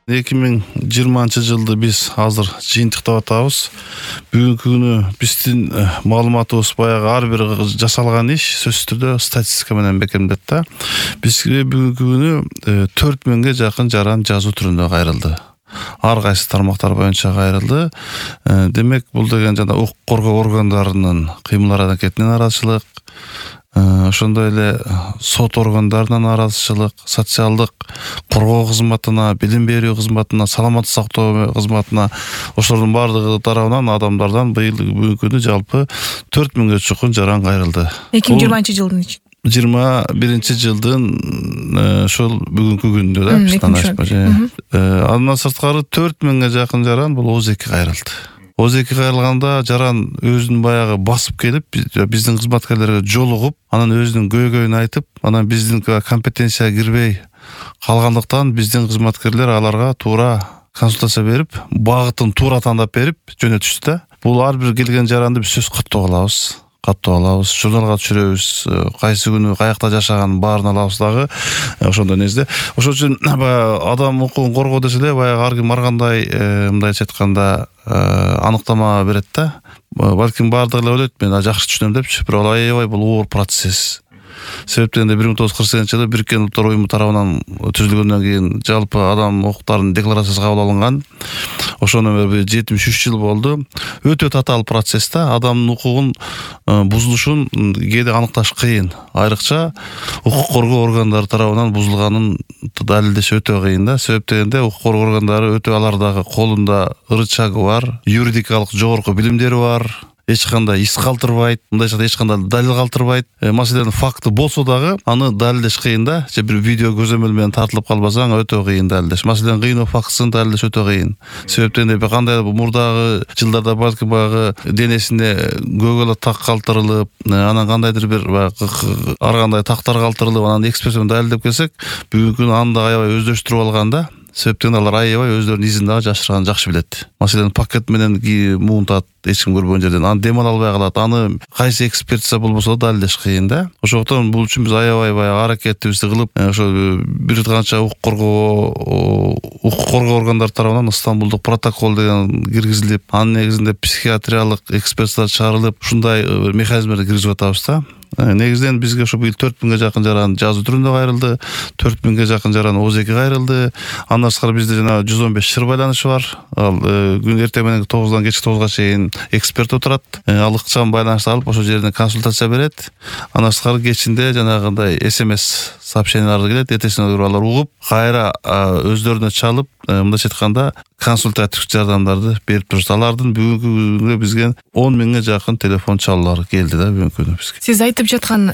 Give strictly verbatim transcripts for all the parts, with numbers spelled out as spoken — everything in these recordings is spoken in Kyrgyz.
эки миң жыйырманчы жылды биз азыр жыйынтыктап атабыз. Бүгүнкү күнү биздин маалыматыбыз баягы ар бир жасалган иш сөзсүз түрдө статистика менен бекемдет да. Бизге бүгүнкү күнү төрт миңге жакын жаран жазуу түрүндө кайрылды. Ар кайсы тармактар боюнча кайрылды. Демек, бул деген жана укук коргоо органдарынын кыймыл аракетинин нараазычылык, ошондой эле сот органдарынын нараазычылык, социалдык коргоо кызматына, билим берүү кызматына, саламаттык сактоо кызматына, ошолордун баардыгы тарабынан адамдардан быйыл бүгүнкү күнү жалпы төрт миңге чукун жаран кайрылды. эки миң жыйырманчы жылдын жыйырма биринчи жылдын ошол бүгүнкү күндө да биз таанышпа. Андан сырткары төрт миңге жакын жаран бул Оз эки кайрылды. Оз эки кайрылганда жаран өзүн баягы басып келип, биздин кызматкерлерге жолугуп, анан өзүнүн көйгөйүн айтып, анан биздин компетенцияга кирбей калгандыктан биздин кызматкерлер аларга туура консультация берип, багытын туура тандап берип жөнөтүштү да. Бул ар бир келген жаранды биз сөз каттап алабыз. каттап алабыз, журналга түшүрөбүз, кайсы күнү каякта жашаганын баарын алабыз дагы, ошондой нерсе. Ошол үчүн адам укугун коргоо десе эле баягы ар ким ар кандай мындайча айтканда аныктама берет да. Балким баардыгы эле ойлойт, мен жакшы түшүнөм депчи, бирок аябай бул оор процесс. Себептен бир миң тогуз жүз кырк сегизинчи жылы Бириккен Улуттар уюму тарабынан түзүлгөндөн кийин жалпы адам укуктарынын декларациясы кабыл алынган. Ошондон бери жетимиш үч жыл болду. Өтө татаал процесс да. Адамдын укугун бузулушун кээде аныкташ кыйын. Айрыкча укук коргоо органдары тарабынан бузулганын далилдеш өтө кыйын да. Себептен укук коргоо органдары өтө алардагы колунда рычагы бар, юридикалык жогорку билимдери бар. Эч кандай ис калтырбайт, мындайча эч кандай далил калтырбайт. Маселенин факты болсо дагы аны далилдеш кыйын да. Же бир видео көзөмөл менен тартылып калбасаң өтө кыйын далилдеш. Маселенин кыйноо фактысын далилдеш өтө кыйын. Себептен бир кандай мурдагы жылдарда балким баягы денесине көгөлөт так калтырылып, анан кандайдыр бир ар кандай тактар калтырылып, анан эксперт менен далилдеп келсек, бүгүнкү күнү аны да аябай өздөштүрүп алган да. Себептен алар аябай өздөрүнүн изин дагы жашырганын жакшы билет. Маселен, пакет менен муунтат, эч ким көрбөгөн жерден, аны дем ала албай калат. Аны кайсы экспертиза болбосо да далилдеш кыйын да. Ошондуктан бул үчүн биз аябай баягы аракетибизди кылып, ошо бир канча укук коргоо укук коргоо органдары тарабынан Стамбулдук протокол деген киргизилип, анын негизинде психиатриялык экспертиза чыгарылып, ушундай механизмдерди киргизип атабыз да. Негизинен бизге ошо быйыл төрт миңге жакын жаран жазуу түрүндө кайрылды, төрт миңге жакын жаран Оз эки кайрылды. Андан сырткары бизде жана жүз он беш чыр байланышы бар. Ал күн эртең менен тогуздан кечки тогузга чейин эксперт отурат. Ал ыкчам байланышты алып, ошол жерден консультация берет. Андан сырткары кечинде жанагындай эс эм эс сообщениялар келет, эртесинен алар угуп, кайра өздөрүнө чалып, мындайча айтканда консультативдик жардамдарды берип турушат. Алардын бүгүнкү күнгө бизге он миңге жакын телефон чалуулары келди да бүгүнкү күнү бизге. Сиз айтып жаткан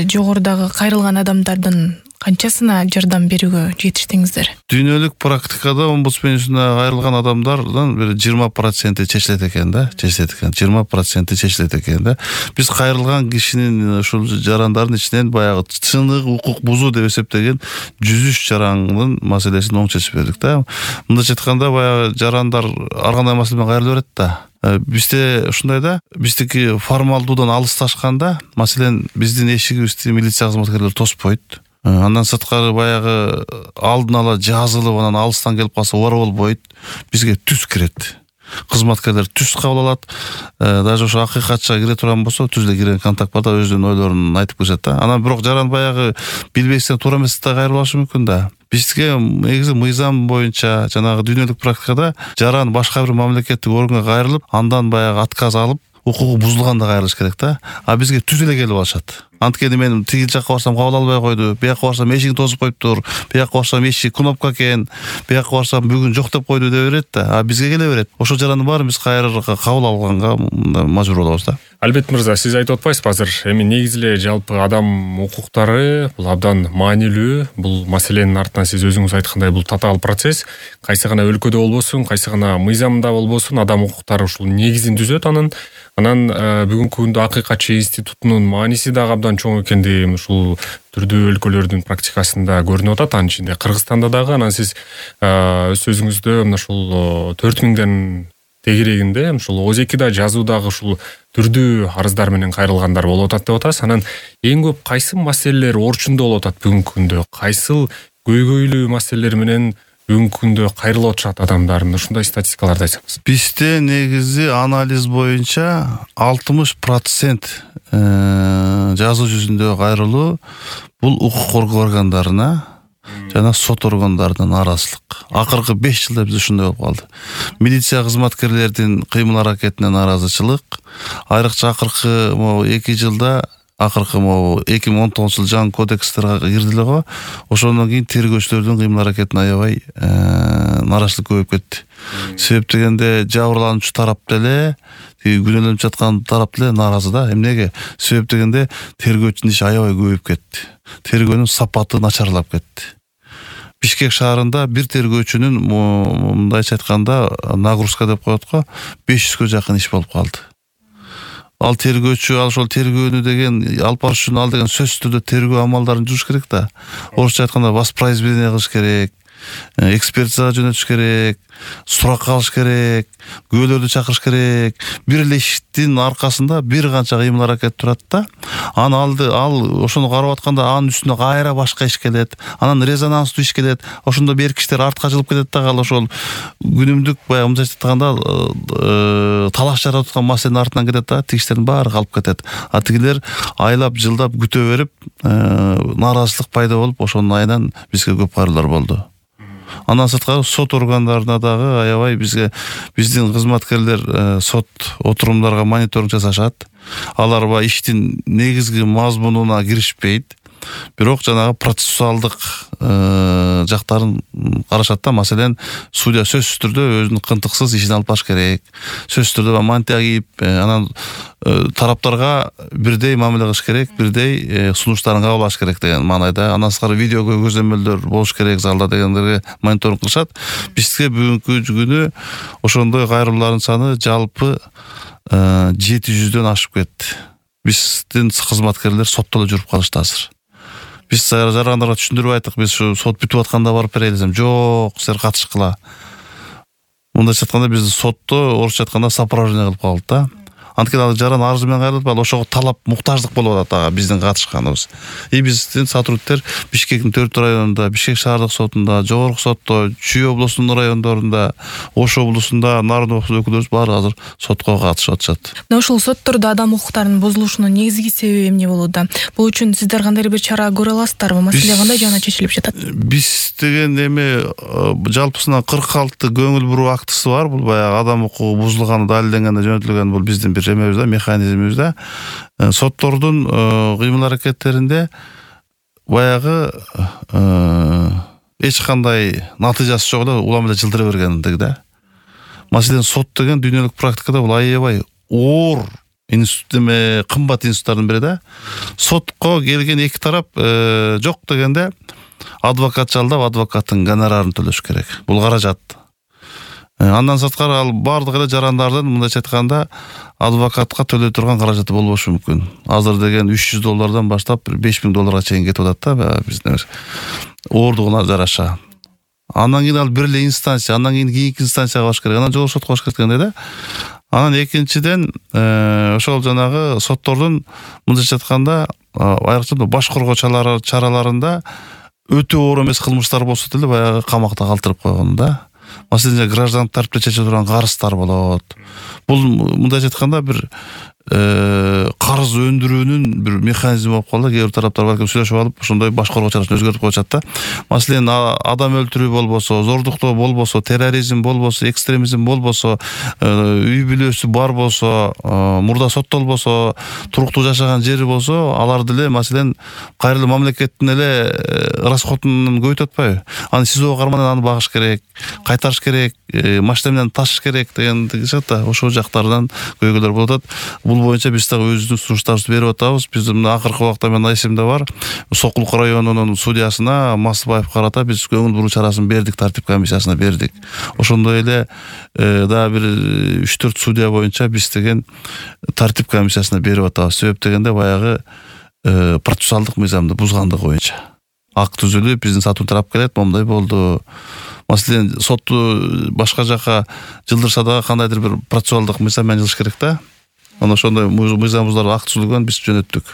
жогорудагы кайрылган адамдардын канчасына жардам берүүгө жетиштиңиздер? Дүйнөлүк практикада омбудсменисине кайрылган адамдардын бир жыйырма проценти чечилет экен да, чечилет экен. жыйырма проценти чечилет экен да. Биз кайрылган кишинин ушул жарандардын ичинен баягы чыныгы укук бузуу деп эсептеген жүз үч жарандын маселесин оң чечип бердик да. Мындайча айтканда баягы жарандар ар кандай маселе менен кайрыла берет да. Бизде ушундай да, биздики формалдуудан алысташканда, маселен, биздин эшигибизди милиция кызматкерлери тоспойт. Андан сырткары баягы алдын ала жазылып, анан алыстан келип калса оор болбойт. Бизге түз кирет. Кызматкерлер түз кабыл алат. Даже ошо акыйкатча кире турган болсо, түз эле кирген контакт бар да, өзүнүн ойлорун айтып кетет да. Анан бирок жаран баягы билбестен туура эмес да кайрылып алышы мүмкүн да. Бизге негизи мыйзам боюнча жанагы дүйнөлүк практикада жаран башка бир мамлекеттик органга кайрылып, андан баягы отказ алып, укугу бузулганда кайрылыш керек да. А бизге түз эле келип алышат. Анткени мен тигил жакка барсам кабыл албай койду, бияка барсам эшигин тосуп коюптур, бияка барсам эшик кнопка экен, бияка барсам бүгүн жок деп койду деп берет да. А бизге келе берет. Ошол жарандын баарын биз кайрырга кабыл алганга мажбур болобуз да. Албет мырза, сиз айтып атпайсызбы азыр? Эми негизи эле жалпы адам укуктары бул абдан маанилүү. Бул маселенин артынан сиз өзүңүз айткандай бул татаал процесс. Кайсы гана өлкөдө болбосун, кайсы гана мыйзамда болбосун, адам укуктары ушул негизин түзөт анын. Анан бүгүнкү күндө акыйкатчы институтунун мааниси дагы абдан чоң экендиги ушул түрдүү өлкөлөрдүн практикасында көрүнүп атат. Анын ичинде Кыргызстанда дагы. Анан сиз өз сөзүңүздө мына ушул төрт миңден тегерегинде ушул Оз эки да жазуудагы ушул түрдүү арыздар менен кайрылгандар болуп атат деп атасыз. Анан эң көп кайсы маселелер орчундо болуп атат бүгүнкү күндө? Кайсыл көйгөйлүү маселелер менен бүгүнкү күндө кайрылып атышат адамдар, ушундай статистикаларды айтсаңыз. Бизде негизи анализ боюнча алтымыш процент жазуу жүзүндөгү кайрылуу бул укук коргоо органдарына жана сот органдарынын нааразычылык. Акыркы беш жылда биз ушундай болуп калды. Милиция кызматкерлердин кыймыл аракетине нааразычылык, айрыкча акыркы могу эки жылда акыркы могу эки миң он тогузунчу жыл жаңы кодекстерге кирди эле го. Ошондон кийин тергөөчүлөрдүн кыймыл аракетине аябай нааразычылык көбөйүп кетти. Себеп дегенде жабырлануучу тарап деле, күнөөлөнүп жаткан тарап деле нааразы да. Эмнеге? Себеп дегенде тергөөчүнүн иши аябай көбөйүп кетти. Тергөөнүн сапаты начарлап кетти. Бишкек шаарында бир тергөөчүнүн мындайча айтканда нагрузка деп коет го, беш жүзгө жакын иш болуп калды. Ал тергөөчү ал ошол тергөөнү деген алып барыш үчүн ал деген сөзсүз түрдө тергөө амалдарын жүрүш керек да. Орусча айтканда воспроизведение кылыш керек, экспертизага жөнөтүш керек, суракка алыш керек, күбөлөрдү чакырыш керек. Бир эле иштин аркасында бир канча кыймыл аракет турат да. Аны алды ал ошону карап атканда анын үстүнө кайра башка иш келет. Анан резонанстуу иш келет. Ошондо берки иштер артка жылып кетет да, ал ошол күнүмдүк баягы мындай айтканда талаш жаратып аткан маселенин артынан кетет да, тигиштердин баары калып кетет. А тигилер айлап жылдап күтө берип, нааразычылык пайда болуп, ошонун айынан бизге көп кайрылуулар болду. Андан сырткары сот органдарына дагы аябай бизге биздин кызматкерлер сот отурумдарга мониторинг жасашат. Алар ба иштин негизги мазмунуна киришпейт. Бирок жанагы процессуалдык жактарын карашат да. Маселен, судья сөзсүз түрдө өзүнүн кынтыксыз ишин алып барыш керек. Сөзсүз түрдө мантия кийип, анан тараптарга бирдей мамиле кылыш керек, бирдей сунуштарын кабыл алыш керек деген маанайда. Андан сырткары видео көзөмөлдөр болуш керек залда дегендерге мониторинг кылышат. Бизге бүгүнкү күнү ошондой кайрылуулардын саны жалпы жети жүздөн ашып кетти. Биздин кызматкерлер сотто эле жүрүп калышты азыр. Биз жарандарга түшүндүрүп айттык, биз сот бүтүп атканда барып берели десем, жок, силер катышкыла. Мындайча айтканда биздин сотто орусча айтканда сопровождение кылып калды да. Анткени ал жаран арызы менен кайрылып, ал ошого талап, муктаждык болуп атат ага биздин катышканыбыз. И биздин сотрудниктер Бишкектин төрт районунда, Бишкек шаардык сотунда, жогорку сотто, Чүй облусунун райондорунда, Ош облусунда нарын өкүлдөрүбүз баары азыр сотко катышып атышат. Мына ошол соттордо адам укуктарынын бузулушунун негизги себеби эмне болууда? Бул үчүн сиздер кандай бир чара көрө аласыздарбы? Маселе кандай жана чечилип жатат? Биз деген эме жалпысынан кырк алты көңүл буруу актысы бар. Бул баягы адам укугу бузулганы далилденгенде жөнөтүлгөн, бул биздин бир эмебиз да, механизмибиз да. Соттордун кыймыл аракеттеринде баягы эч кандай натыйжасы жок эле улам эле жылдыра бергендиги да. Маселен, сот деген дүйнөлүк практикада бул аябай оор институт эме кымбат институттардын бири да. Сотко келген эки тарап жок дегенде адвокат жалдап, адвокаттын гонорарын төлөш керек. Бул каражат. Андан сырткары ал бардык эле жарандардын мындайча айтканда адвокатка төлөй турган каражаты болбошу мүмкүн. Азыр деген үч жүз доллардан баштап беш миң долларга чейин кетип атат да, биздин оордугуна жараша. Андан кийин ал бир эле инстанция, андан кийин кийинки инстанцияга барыш керек, анан жогорку сотко барыш керек дегенде да. Анан экинчиден ошол жанагы соттордун мындайча айтканда айрыкча баш коргоо чараларында өтө оор эмес кылмыштар болсо деле баягы камакта калтырып койгон да. Маселен, граждан тарапта чече турган карыздар болот. Бул мындайча айтканда бир карыз өндүрүүнүн бир механизми болуп калды. Кээ бир тараптар балким сүйлөшүп алып, ошондой баш коргоо чарасын өзгөртүп коюшат да. Маселен, адам өлтүрүү болбосо, зордуктоо болбосо, терроризм болбосо, экстремизм болбосо, үй бүлөсү бар болсо, мурда соттолбосо, туруктуу жашаган жери болсо, алар деле маселен кайрылуу мамлекеттин эле расходун көбөйтүп атпайбы? Аны СИЗОго кармандан аны багыш керек, кайтарыш керек, машина менен ташыш керек дегендиги да. Ошол жактардан көйгөйлөр болуп атат. Бул боюнча биз дагы өзүбүздүн сунуштарыбызды берип атабыз. Биз мына акыркы убакта мен эсимде бар, Сокулук районунун судьясына Масыбаев карата биз көңүл буруу чарасын бердик, тартип комиссиясына бердик. Ошондой эле дагы бир үч төрт судья боюнча биз деген тартип комиссиясына берип атабыз. Себеп дегенде баягы процессуалдык мыйзамды бузгандыгы боюнча. Акт түзүлүп, биздин сатуу тарап келет, момундай болду. Маселен, сотту башка жака жылдырса дагы кандайдыр бир процессуалдык мыйзам менен жылыш керек да. Аны ошондой мыйзам бузулар акт түзүлгөн, биз жөнөттүк.